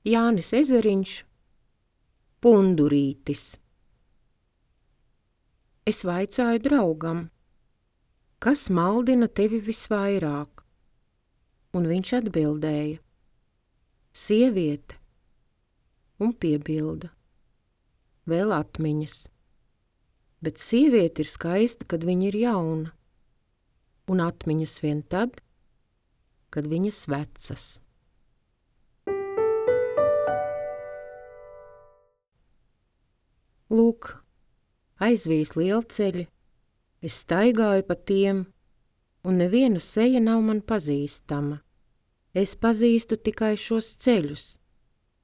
Jānis Ezeriņš, Pundurītis. Es vaicāju draugam, kas maldina tevi visvairāk? Un viņš atbildēja, sieviete, un piebilda, vēl atmiņas. Bet sieviete ir skaista, kad viņa ir jauna, un atmiņas vien tad, kad viņas vecas. Lūk, aizvīs lielceļi, es staigāju pa tiem, un neviena seja nav man pazīstama. Es pazīstu tikai šos ceļus,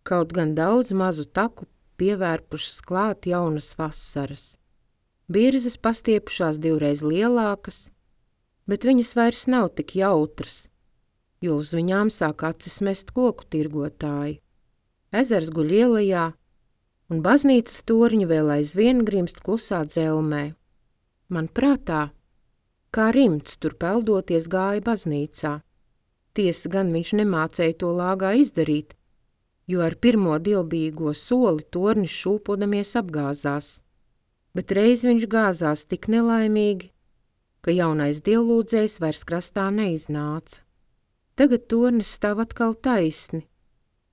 kaut gan daudz mazu taku pievērpušas klāt jaunas vasaras. Birzes pastiepušās 2 reiz lielākas, bet viņas vairs nav tik jautras, jo uz viņām sāk acis mest koku tirgotāji. Ezers guļ ielajā, un baznīcas torņi vēl aizvien grimst klusā dzelmē. Man prātā, kā rimts tur peldoties gāja baznīcā. Tiesa gan viņš nemācēja to lāgā izdarīt, jo ar pirmo dievbijīgo soli tornis šūpodamies apgāzās. Bet reiz viņš gāzās tik nelaimīgi, ka jaunais dievlūdzējs vairs krastā neiznāca. Tagad tornis stāv atkal taisni,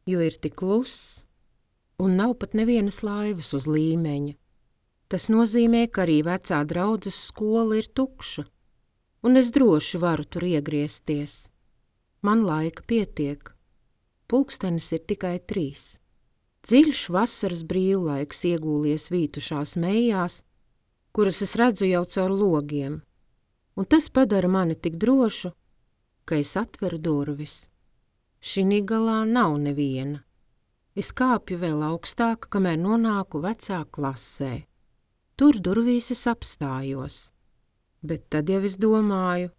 jo ir tik kluss, un nav pat nevienas laivas uz līmeņa. Tas nozīmē, ka arī vecā draudzes skola ir tukša, un es droši varu tur iegriezties. Man laika pietiek. Pulkstenis ir tikai 3. Dziļš vasaras brīvlaiks iegūlies vītušās mejās, kuras es redzu jau caur logiem, un tas padara mani tik drošu, ka es atveru durvis. Šinī galā nav neviena. Es kāpju vēl augstāk, kamēr nonāku vecā klasē. Tur durvīs es apstājos, bet tad jau es domāju,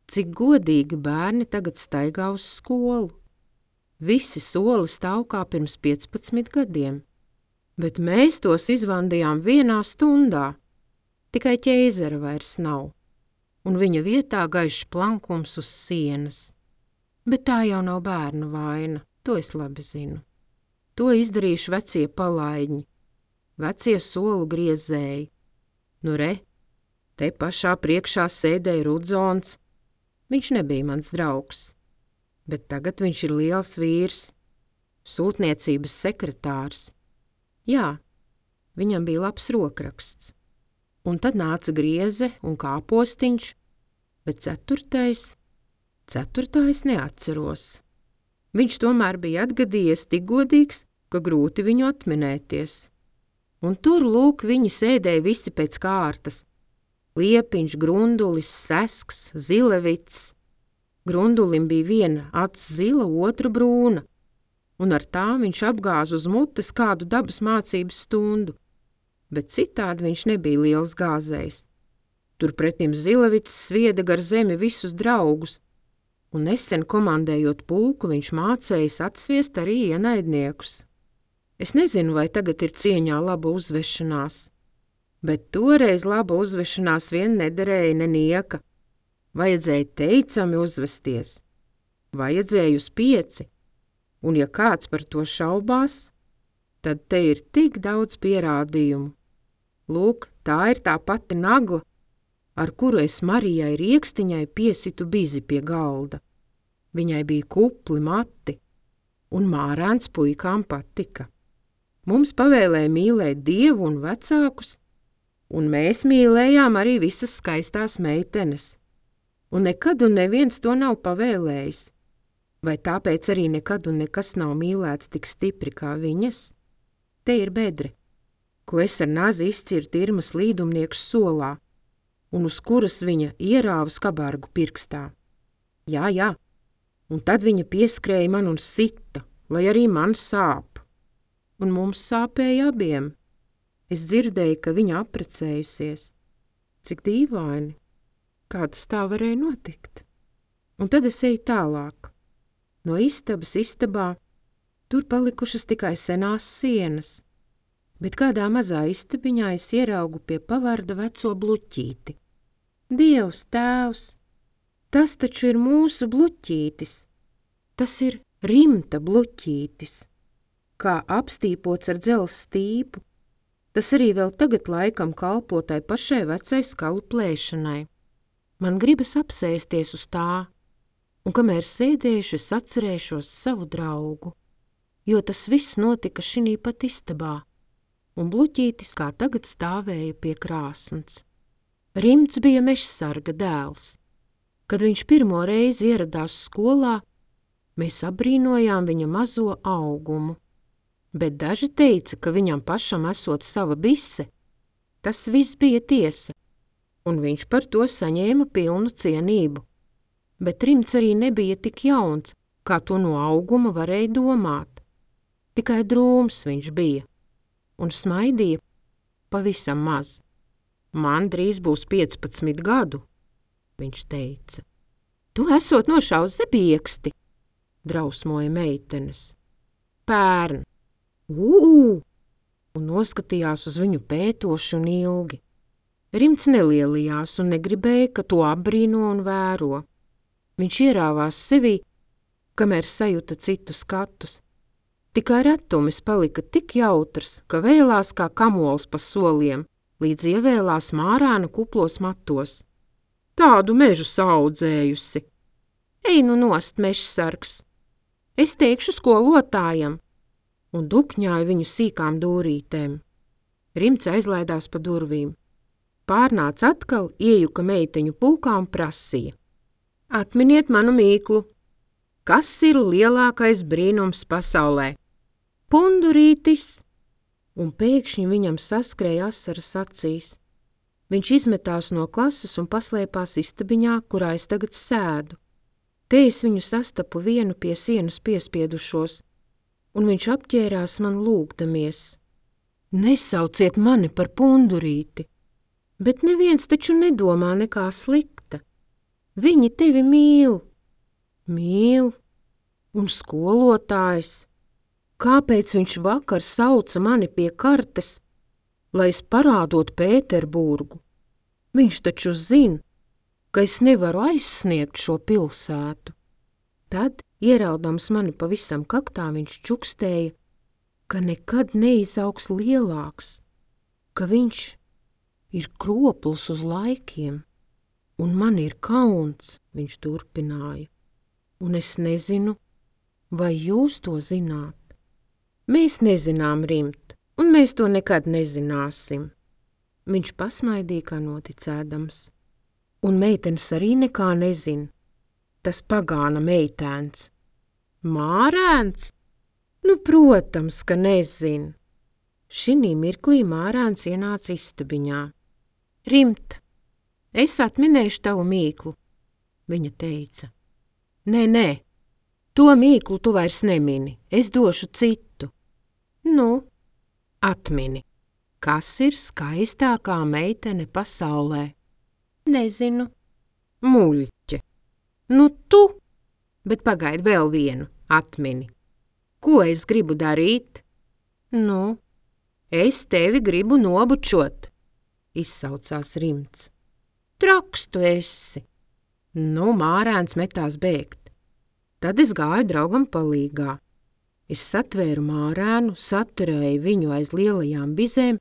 cik godīgi bērni tagad staigā uz skolu. Visi soli stāv kā pirms 15 gadiem, bet mēs tos izvandījām 1 stundā. Tikai ķēzera vairs nav, un viņa vietā gaišs plankums uz sienas. Bet tā jau nav bērnu vaina, to es labi zinu. To izdarījuši vecie palaidņi, vecie solu griezēji. Nu re, te pašā priekšā sēdēja Rudzons. Viņš nebija mans draugs, bet tagad viņš ir liels vīrs, sūtniecības sekretārs. Jā, viņam bija labs rokraksts. Un tad nāca grieze un kāpostiņš, bet 4. neatceros. Viņš tomēr bija atgadījies tik godīgs, ka grūti viņu atminēties. Un tur, lūk, viņi sēdēja visi pēc kārtas. Liepiņš, Grundulis, Sesks, Zilevits. Grundulim bija viena acs zila, otra brūna, un ar tām viņš apgāza uz mutes kādu dabas mācības stundu. Bet citādi viņš nebija liels gāzējs. Turpretim Zilevits svieda gar zemi visus draugus, un nesen komandējot pulku, viņš mācējis atsviest arī ienaidniekus. Es nezinu, vai tagad ir cieņā laba uzvešanās, bet toreiz laba uzvešanās vien nederēja nenieka. Vajadzēja teicami uzvesties, vajadzēja uz 5, un ja kāds par to šaubās, tad te ir tik daudz pierādījumu. Lūk, tā ir tā pati nagla, ar kuru es Marijai Riekstiņai piesitu bizi pie galda. Viņai bija kupli mati, un mārēns puikām patika. Mums pavēlēja mīlēt Dievu un vecākus, un mēs mīlējām arī visas skaistās meitenes. Un nekad un neviens to nav pavēlējis. Vai tāpēc arī nekad un nekas nav mīlēts tik stipri kā viņas? Te ir bedre, ko es ar nazi izcirtu Irmas līdumnieks solā, un uz kuras viņa ierāva skabargu pirkstā. Jā, un tad viņa pieskrēja man un sita, lai arī man sāp. Un mums sāpēja abiem. Es dzirdēju, ka viņa apprecējusies. Cik dīvaini, kā tas tā varēja notikt. Un tad es eju tālāk. No istabas istabā, tur palikušas tikai senās sienas, bet kādā mazā istabiņā es ieraugu pie pavarda veco bluķīti. Dievs, tēvs, tas taču ir mūsu bluķītis. Tas ir Rimta bluķītis. kā apstīpots ar dzelzs stīpu. Tas arī vēl tagad laikam kalpo tai pašai vecai skalu plēšanai. Man gribas apsēsties uz tā, un kamēr sēdēšu, es atcerēšos savu draugu, jo tas viss notika šinī pat istabā, un Bluķītis kā tagad stāvēja pie krāsns. Rimts bija mežsarga dēls. Kad viņš pirmo reizi ieradās skolā, mēs apbrīnojām viņa mazo augumu, bet daži teica, ka viņam pašam esot sava bise. Tas viss bija tiesa, un viņš par to saņēma pilnu cienību. Bet Rimts arī nebija tik jauns, kā to no auguma varēja domāt. Tikai drūms viņš bija, un smaidīja pavisam maz. Man drīz būs 15 gadu, viņš teica. Tu esot nošaus zebieksti, drausmoja meitenes. Pērn! Un noskatījās uz viņu pētoši un ilgi. Rimts nelielījās un negribēja, ka to apbrīno un vēro. Viņš ierāvās sevī, kamēr sajuta citu skatus. Tikai retumis palika tik jautrs, ka vēlās kā kamols pa soliem, līdz ievēlās mārāna kuplos matos. Tādu mežu saudzējusi. Ej nu nost, mežsargs! Es teikšu skolotājam! Un dukņāja viņu sīkām dūrītēm. Rimts aizlaidās pa durvīm. Pārnāca atkal, iejuka meiteņu pulkā un prasīja. Atminiet manu mīklu. Kas ir lielākais brīnums pasaulē? Pundurītis! Un pēkšņi viņam saskrēja asaras acīs. Viņš izmetās no klases un paslēpās istabiņā, kurā es tagad sēdu. Te es viņu sastapu vienu pie sienas piespiedušos, un viņš apķērās man lūgdamies. Nesauciet mani par pundurīti, bet neviens taču nedomā nekā slikta. Viņi tevi mīl. Mīl? Un skolotājs? Kāpēc viņš vakar sauca mani pie kartes, lai es parādot Pēterburgu? Viņš taču zina, ka es nevaru aizsniegt šo pilsētu. Tad, ieraudams mani pavisam kaktā, viņš čukstēja, ka nekad neizaugs lielāks, ka viņš ir kropls uz laikiem, un man ir kauns, viņš turpināja, un es nezinu, vai jūs to zināt. Mēs nezinām, Rimt, un mēs to nekad nezināsim. Viņš pasmaidīja kā noticēdams, un meitenes arī nekā nezina. Tas pagāna meitēns. Mārēns? Nu, protams, ka nezin. Šinī mirklī Mārēns ienāca istabiņā. Rimt, es atminēšu tavu mīklu, viņa teica. Nē, to mīklu tu vairs nemini, es došu citu. Nu, atmini, kas ir skaistākā meitene pasaulē? Nezinu. Muļķe. Nu tu, bet pagaidi vēl vienu, atmini. Ko es gribu darīt? Nu, es tevi gribu nobučot, izsaucās Rimts. Traks tu esi. Nu, Mārēns metās bēgt. Tad es gāju draugam palīgā. Es satvēru Mārēnu, saturēju viņu aiz lielajām bizēm,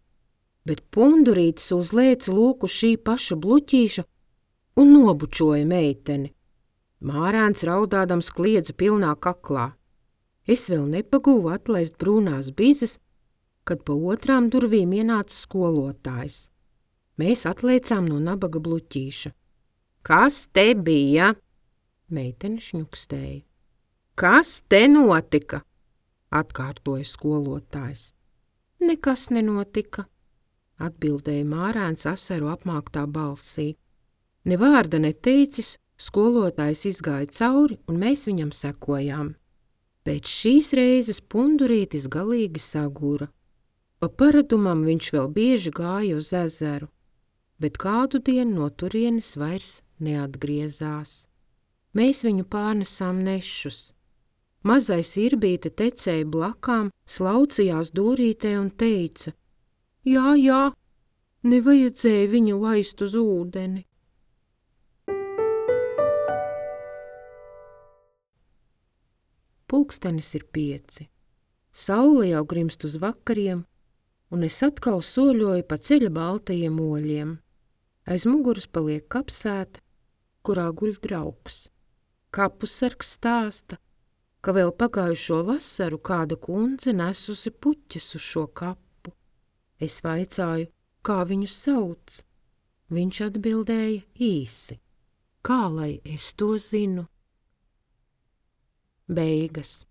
bet pundurītis uzlēca lūku šī paša Bluķīša un nobučoja meiteni. Mārēns raudādams kliedza pilnā kaklā. Es vēl nepagūvu atlaist brūnās bizes, kad pa otrām durvīm ienāca skolotājs. Mēs atliecām no nabaga Bluķīša. Kas te bija? Meitene šņukstēja. Kas te notika? Atkārtoja skolotājs. Nekas nenotika, atbildēja Mārēns asaru apmāktā balsī. Ne vārda neteicis, skolotājs izgāja cauri, un mēs viņam sekojām. Pēc šīs reizes pundurītis galīgi sagura. Pa paradumam viņš vēl bieži gāja uz ezeru, bet kādu dienu no turienes vairs neatgriezās. Mēs viņu pārnesām nešus. Mazais Irbīte tecēja blakām, slaucījās dūrītē un teica: Jā, nevajadzēja viņu laist uz ūdeni. Pulkstenis ir 5. Saule jau grimst uz vakariem, un es atkal soļoju pa ceļa baltajiem oļiem. Aiz muguras paliek kapsēta, kurā guļ draugs. Kapusargs stāsta, ka vēl pagājušo vasaru kāda kundze nesusi puķes uz šo kapu. Es vaicāju, kā viņu sauc. Viņš atbildēja īsi. Kā lai es to zinu? Beigas.